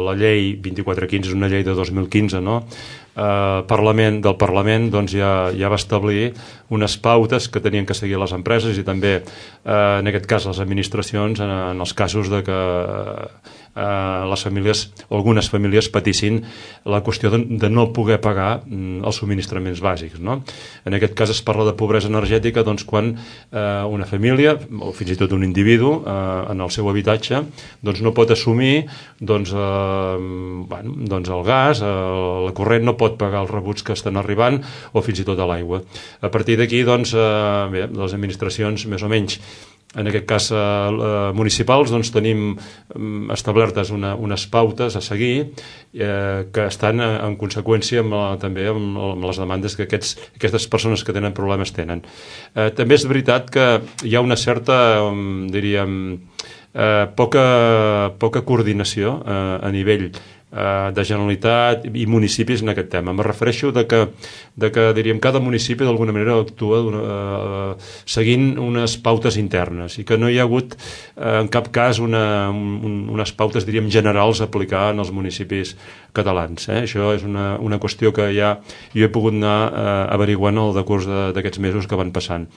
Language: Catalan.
La llei 2415 és una llei de 2015, no? Del Parlament doncs ja va establir unes pautes que tenien que seguir les empreses i també en aquest cas les administracions en els casos de que les famílies, algunes famílies patissin la qüestió de no poder pagar els subministraments bàsics, no? En aquest cas es parla de pobresa energètica doncs, quan una família o fins i tot un individu en el seu habitatge doncs, no pot assumir doncs, el gas, la corrent, no pot pagar els rebuts que estan arribant o fins i tot a l'aigua. A partir d'aquí doncs, les administracions més o menys en aquest cas municipals doncs tenim establertes unes pautes a seguir que estan en conseqüència també amb les demandes que aquestes persones que tenen problemes tenen. També és veritat que hi ha una certa, diríem, poca coordinació a nivell de Generalitat i municipis en aquest tema. Me refereixo de que diríem, cada municipi d'alguna manera actua seguint unes pautes internes i que no hi ha hagut en cap cas unes pautes, diríem, generals a aplicar en els municipis catalans. Això és una qüestió que ja jo he pogut anar averiguant al decurs d'aquests mesos que van passant.